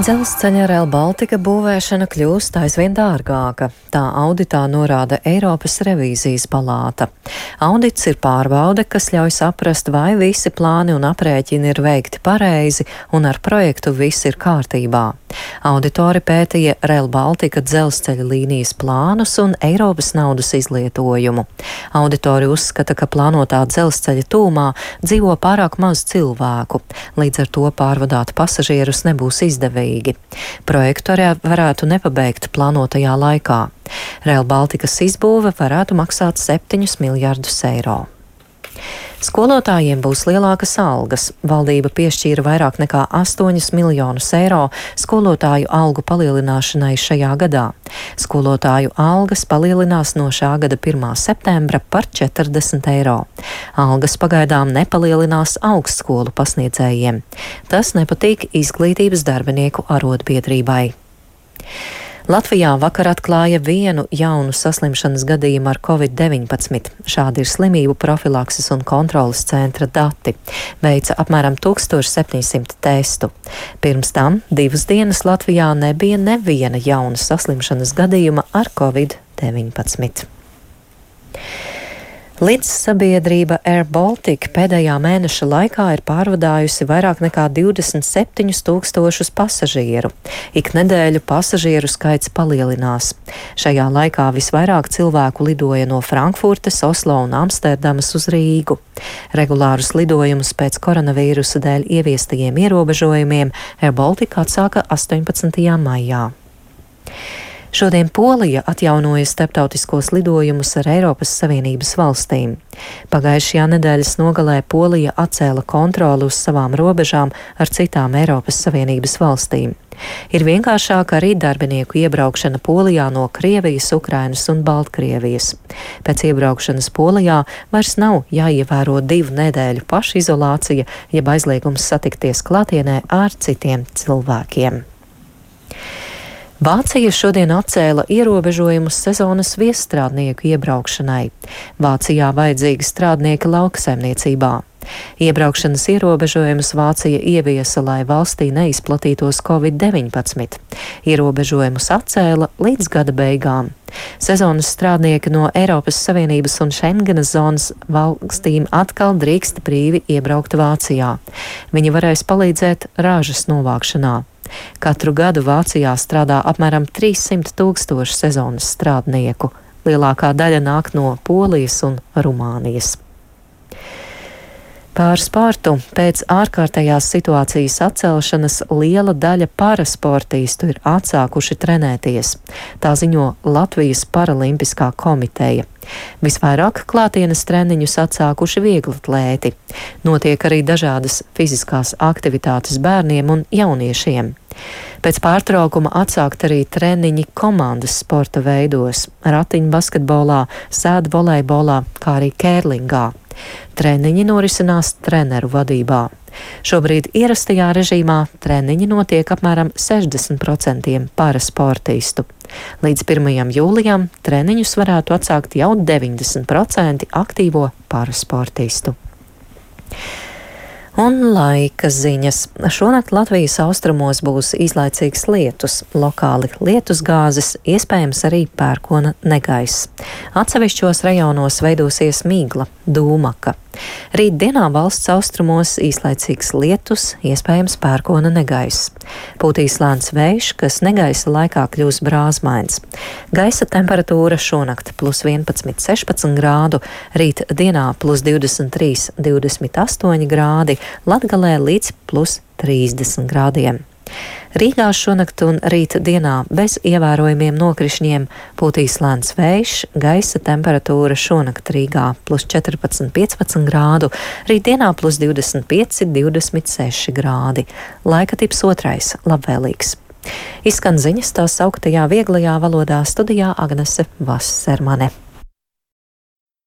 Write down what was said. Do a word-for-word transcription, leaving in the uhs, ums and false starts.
Dzelzceļa Rail Baltica būvēšana kļūst aizvien dārgāka. Tā auditā norāda Eiropas revīzijas palāta. Audits ir pārbaude, kas ļauj saprast, vai visi plāni un aprēķini ir veikti pareizi un ar projektu viss ir kārtībā. Auditori pētīja Rail Baltica dzelzceļa līnijas plānus un Eiropas naudas izlietojumu. Auditori uzskata, ka plānotā dzelzceļa tūmā dzīvo pārāk maz cilvēku, līdz ar to pārvadāt pasažierus nebūs izdevīgi. Projektu arī varētu nepabeigt plānotajā laikā. Rail Balticas izbūve varētu maksāt septiņus miljardus eiro. Skolotājiem būs lielākas algas. Valdība piešķīra vairāk nekā astoņus miljonus eiro skolotāju algu palielināšanai šajā gadā. Skolotāju algas palielinās no šā gada pirmā septembra par četrdesmit eiro. Algas pagaidām nepalielinās augstskolu pasniedzējiem. Tas nepatīk izglītības darbinieku arotbiedrībai. Latvijā vakar atklāja vienu jaunu saslimšanas gadījumu ar covid deviņpadsmit. Šādi ir slimību profilakses un kontrolas centra dati. Veica apmēram tūkstoš septiņsimt testu. Pirms tam divas dienas Latvijā nebija neviena jauna saslimšanas gadījuma ar covid deviņpadsmit. Līdzsabiedrība Air Baltica pēdējā mēneša laikā ir pārvadājusi vairāk nekā divdesmit septiņus tūkstošus pasažieru. Ik nedēļu pasažieru skaits palielinās. Šajā laikā visvairāk cilvēku lidoja no Frankfurtes, Oslo un Amsterdamas uz Rīgu. Regulārus lidojumus pēc koronavīrusa dēļ ieviestajiem ierobežojumiem Air Baltica atsāka astoņpadsmitajā maijā. Šodien Polija atjaunoja starptautiskos lidojumus ar Eiropas Savienības valstīm. Pagājušajā nedēļas nogalē Polija atcēla kontroli uz savām robežām ar citām Eiropas Savienības valstīm. Ir vienkāršāk arī darbinieku iebraukšana Polijā no Krievijas, Ukrainas un Baltkrievijas. Pēc iebraukšanas Polijā vairs nav jāievēro divu nedēļu pašizolācija, jeb aizliegums satikties klātienē ar citiem cilvēkiem. Vācija šodien atcēla ierobežojumus sezonas viesstrādnieku iebraukšanai. Vācijā vajadzīgi strādnieki lauksaimniecībā. Iebraukšanas ierobežojumus Vācija ieviesa, lai valstī neizplatītos covid deviņpadsmit. Ierobežojumus atcēla līdz gada beigām. Sezonas strādnieki no Eiropas Savienības un Šengenas zonas valstīm atkal drīkst brīvi iebraukt Vācijā. Viņi varēs palīdzēt ražas novākšanā. Katru gadu Vācijā strādā apmēram trīssimt tūkstoši sezonas strādnieku. Lielākā daļa nāk no Polijas un Rumānijas. Pār sportu. Pēc ārkārtējās situācijas atcelšanas liela daļa parasportīstu ir atsākuši trenēties. Tā ziņo Latvijas Paralimpiskā komiteja. Visvairāk klātienes treniņus atsākuši vieglatlēti. Notiek arī dažādas fiziskās aktivitātes bērniem un jauniešiem. Pēc pārtraukuma atsākt arī treniņi komandas sporta veidos – ratiņbasketbolā, sēdu volejbolā, kā arī kērlingā. Treniņi norisinās treneru vadībā. Šobrīd ierastajā režīmā treniņi notiek apmēram sešdesmit procenti parasportistu. Līdz pirmajam jūlijam treniņus varētu atsākt jau deviņdesmit procenti aktīvo parasportistu. Un laika ziņas. Šonakt Latvijas austrumos būs īslaicīgs lietus, lokāli lietusgāzes, iespējams arī pērkona negaiss. Atsevišķos rajonos veidosies migla, dūmaka. Rītdienā valsts austrumos īslaicīgs lietus, iespējams pērkona negaiss. Pūtīs lēns vējš, kas negaisa laikā kļūs brāzmains. Gaisa temperatūra šonakt plus vienpadsmit, sešpadsmit grādu, rīt dienā plus divdesmit trīs, divdesmit astoņi grādi, Latgalē līdz plus trīsdesmit grādiem. Rīgā šonakt un rīt dienā bez ievērojumiem nokrišņiem pūtīs lēns vējš, gaisa temperatūra šonakt Rīgā plus četrpadsmit, piecpadsmit grādu, rīt dienā plus divdesmit pieci, divdesmit seši grādi. Laika tips otrais - labvēlīgs. Izskan ziņas tās sauktajā vieglajā valodā, studijā Agnese Vassermane.